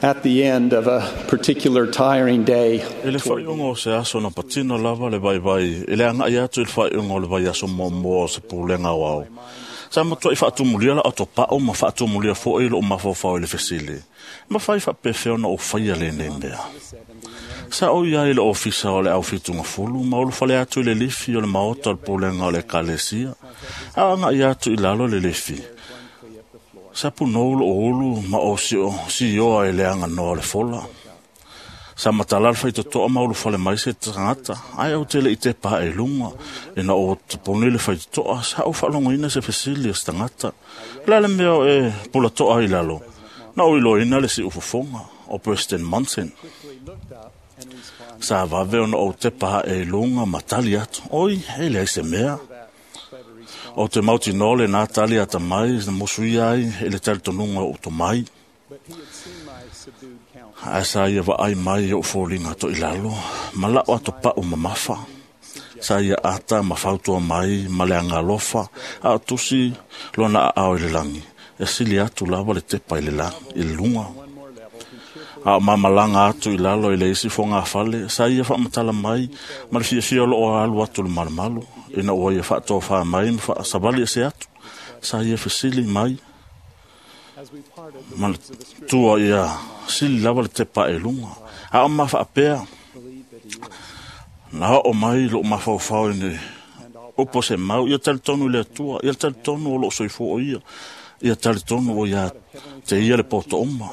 At the end of a particular tiring day, I le faaiuga o se aso na patino lava le vaivai e le agaʻi atu i le faaiuga o le vaiaso muamua o se pulega aoao. Sa matuaʻi faatumulia la otopaʻu ma faatumulia foʻi loʻu mafaufau i le fesili. Mafai faapefea ona ou faia lenei mea. Sa ou iai i le ofisa o le au fitugafulu ma ulufale atu i le lifi o le maota o le pulega o le ekalesia. A o agaʻi atu i lalo le lifi. Sa punou loʻu ulu ma o sioa i le aganoa o le fola. Sa matala le faitotoa ma ulufale mai se tagata, ae ou te le i tepa ae i luga, ina ua tapuni le faitotoa, sa ou faalogoina se fesili a se tagata. O le a le mea o e pulatoa ai i lalo? Na ou iloaina le siufofoga o President Monson. Sa vave ona ou tepa ae i luga ma tali atu, oi, e leai se mea. Ou te mautinoa lenā tali atamai na musuia ai e le talitonuga o ou tomai. Ae sa ia vaai mai i ou foliga toilalo ma la'u atopa'u mamafa. Sa ia ata ma fautua mai ma le agalofa a o tusi lona aao i le lagi. E sili atu lava le tepa i le luga. A o mamalaga atu i lalo i le isi fogafale, sa ia faamatala mai ma le fiafia o loo alu atu le malumalu. Ina ua ia faatofā mai ma faasavali ese atu, sa ia fesili mai ma le tua ia sili lava le tepa e luga. A o mafaapea, na oo mai loo mafaufau i le upu o se mau, ia talitonu i le Atua, ia talitonu o loo soifua o ia, ia talitonu o ia te ia le poto uma.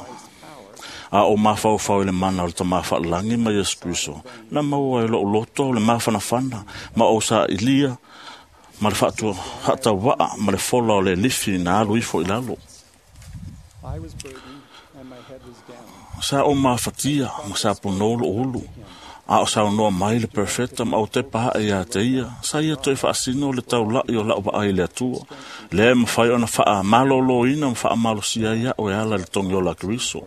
A o mafaufau i le mana o le Tama faalelagi ma Iesu Keriso, na maua ai lou loto le mafanafana ma ou sailia ma le faatauvaa ma le fola o le lifi na alu ifo i lalo. Sa ou mafatia ma sa punou lou ulu, a o saunoa mai le perfeta ma ou tepa ae ia te ia, sa ia toe faasino le taulaʻi o la'u vaai i le Atua. Lea e mafai ona faamalōlōina ma faamalosia ai a'u e ala i le togiola a Keriso.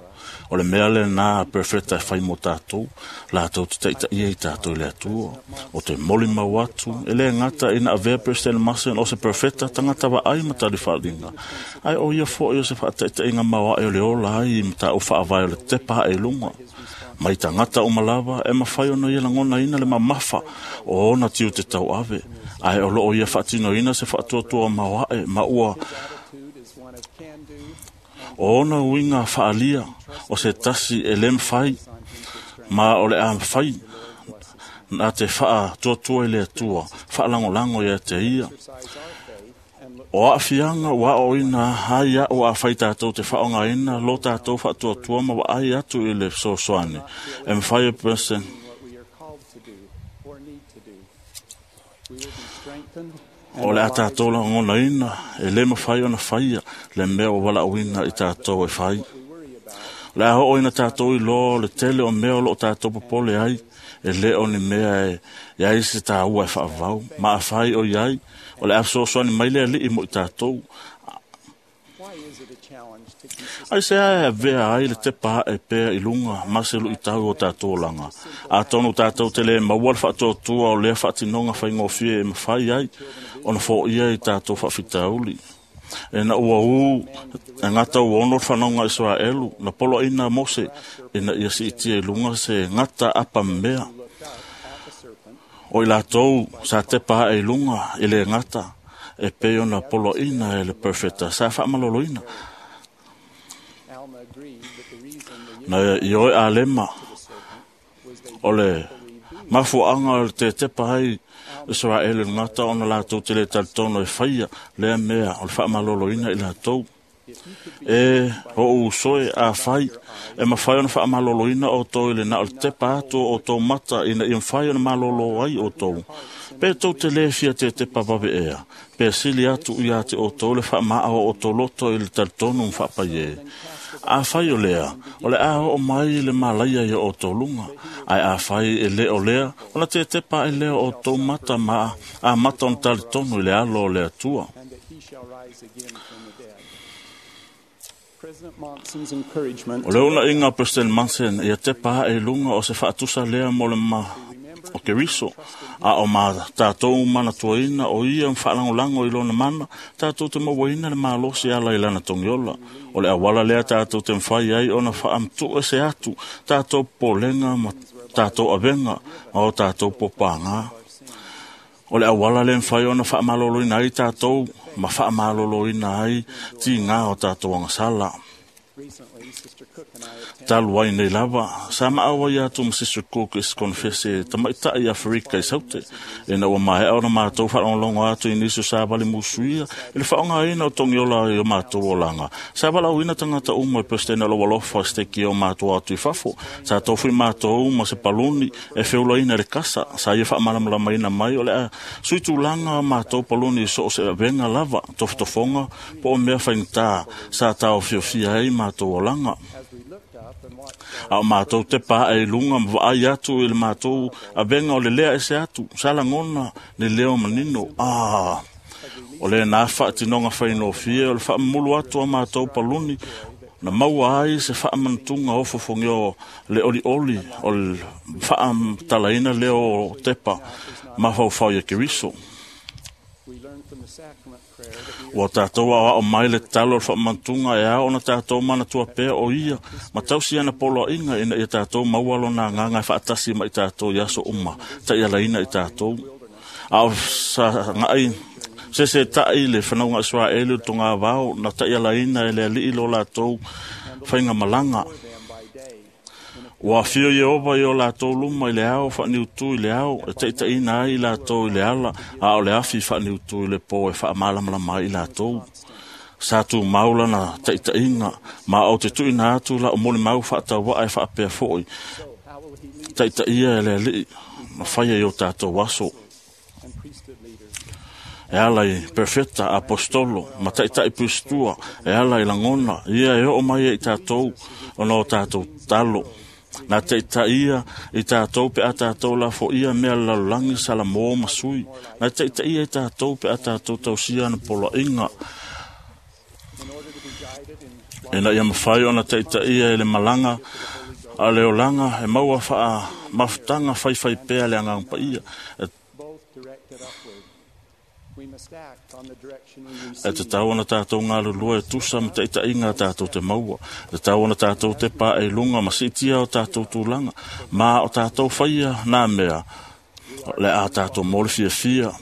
O le mea lenā perfeta e fai mo tātou, latou te taitaia i tātou i le Atua. O te molimau atu, e le gata ina avea President Monson o se perfeta tagata vaai ma talifaaliga. Ae o ia foʻi o se faataitaiga maoaʻe o le ola ai i mataupu faavae o le tepa ae i luga. Mai tagata uma lava e mafai ona ia lagonaina le mamafa o ona tiute tauave, ae o loo ia faatinoina se faatuatua maoaʻe ma ua o ona uiga faalia o se tasi e le mafai ma o le a mafai na te faatuatua i le Atua faalagolago ia te ia. O aafiaga ua aoaoina ai a'u afai tatou te faaaogaina lo tatou faatuatua ma vaai atu i le fesoasoani e mafai e President o le a tatou lagonaina e le mafai ona faia le mea ua valaauina i tatou e fai. O le a hooina tatou i loa o le tele o mea o loo tatou popole ai, e le o ni mea e iai se tāua e faavavau. Ma afai o iai, o le a fesoasoani mai le Alii mo i tatou. Ai se ae avea ai le tepa ae pea i luga ma se luitau o tatou olaga. Atonu tatou te le maua le faatuatua o lea faatinoga faigofie e mafai ai ona foia i tatou faafitauli. Ina ua ū e gata ua ono le fanauga a Isaraelu na poloaina Mose ina ia siitia i luga se gata apa mea. O i latou sa tepa ae i luga i le gata e pei ona poloaina e le perfeta sa faamaloloina. Na ioe Alema o le mafuaaga o le tetepa ai Isaraelu i le gata ona latou te le talitonu e faia lea mea o le faamaloloina i latou. E o usoe afai e mafai ona faamaloloina outou i le na o le tepa atu o outou mata ina ia mafai ona malolo ai outou. Pe tou te le fia tetepa vave ea, pe sili atu ia te outou le faamaa o outou loto i le talitonu ma faapai e. Afai o lea, o le a oo mai le malaia ia outou luga. Ae afai e le o lea, ona tetepa ai lea o outou mata ma amata ona talitonu i le alo o le Atua. O le unaiga o President Monson ia tepa ae i luga o se faatusa lea mo le o Keriso. A o ma tātou manatuaina o ia whaalangolago i lona mana, tātou te mauaina le malosi ala i lana togiola. O le auala lea tātou te mawhai ai ona whaamtua se atu, tātou polenga ma tātou avenga, ma o tātou popāngā. O le auala le mwhai ona whaamaloloina ai tātou, ma whaamaloloina ai ti ngā o tātou angasala. Talu ai nei lava, sa maawa ia atu ma Sister Cook i se konfese tamaitai i Afrika i Saute. Ina ua maea ona mātou whaalongolongo atu i nisi o sa vali musuia, i le whaongaina o togiola i o mātou olanga. Sa walauina tangata uma i President o Walofa se teki o mātou atu i fafo. Sa tofu i mātou ma se paluni e feulaina le kasa. Sa ia whaamalamalamaina mai o le a sui tūlanga mātou paluni i so o se avenga lava, tofotofonga, po o mea whaingtā, sa tau fiofia ai mātou olanga. A o mātou te pā e lunga ma vaai atu i le mātou avenga o le lea e se atu, sa langona le leo manino. Ah, o le nā whaatinoga whainofie o le whaamulu atu a mātou paluni, na maua ai se whaamantunga o fofongeo le oli oli o le whaamtalaina leo tepa mawhauwhau ia Keriso. Ua tātou au mai le talo o le whaamantunga e ao na tātou manatua pea o ia, ma tausi ana poloa inga ina ia tātou maualo nā nganga e whaatasi ma i tātou i aso uma, ta ia laina i tātou. A o sa ngai, se se tai le whanauga Israeli o tonga vao, na ta ia laina e le alii lo lātou whainga malanga. Ua whio Yehova i o lātou luma i le ao, whaaniutu i le ao, e taitaina ai i lātou i le ala, a o le afi whaaniutu i le pō e whaamalamalama ai i lātou. Sa tū maula na taitainga, ma o te tuina atu la o moli mau whaatawa e whaapea foi. Taitaia e le alii, ma whaia i o tātou aso. E ala i perfecta apostolo, ma taitai pustua, e ala i langona, ia e o mai e i tātou, ona o tātou talo. Nā taitaia i tātou pe a tātou la fo ia mea lalulangi sala mō masui. Nā taitaia i tātou pe a tātou tausia na poloa inga. E na ia mawhai ona taitaia e le malanga a le olanga e maua whaa mafutanga whaiwhai pea le angang pa ia. E te tau ana tātou ngā lulua e tusa ma taitainga tātou te maua. E te tau ana tātou te pā e lunga ma sitia o tātou tūlanga. Ma o tātou whaia nā mea le a tātou mōle fia fia.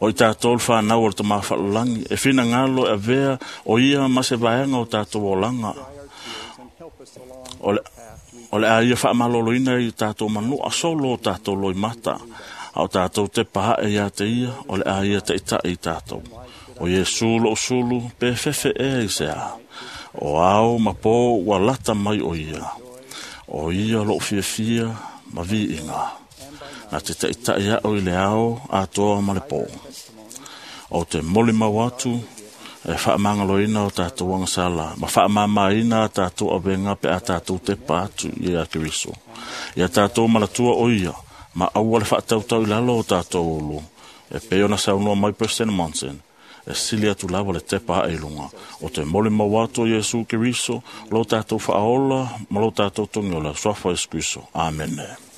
O i tātou le whanau o le tamā whalangi. E whina ngalo e vea o ia ma se vaenga o tātou olanga. O le a ia whaamaloloina i tātou manu a solo o tātou loi mata. A o tātou te paha e ia te ia, o le a ia te itai i tātou. O Iesu lo sulu, pe fefe e i se a. O ao ma pō ua lata mai o ia. O ia lo fia fia ma vi inga. Nā te taitai ao i le ao a toa ma le pō. O te moli mau atu, e whaamangaloina o tātou angasala, ma whaamamaina a tātou awenga pe a tātou te pātu i a Keriso. Ia tātou malatua o ia, ma aua le whaatautau i lalo o tātou olu. E pe ona saunoa mai President Monson, e sili atu lava le tepa e lunga. O te moli mau atu o Iesu Keriso, lo tātou whaola, ma lo tātou tongiola, suafa Iesu Kristo. Amene.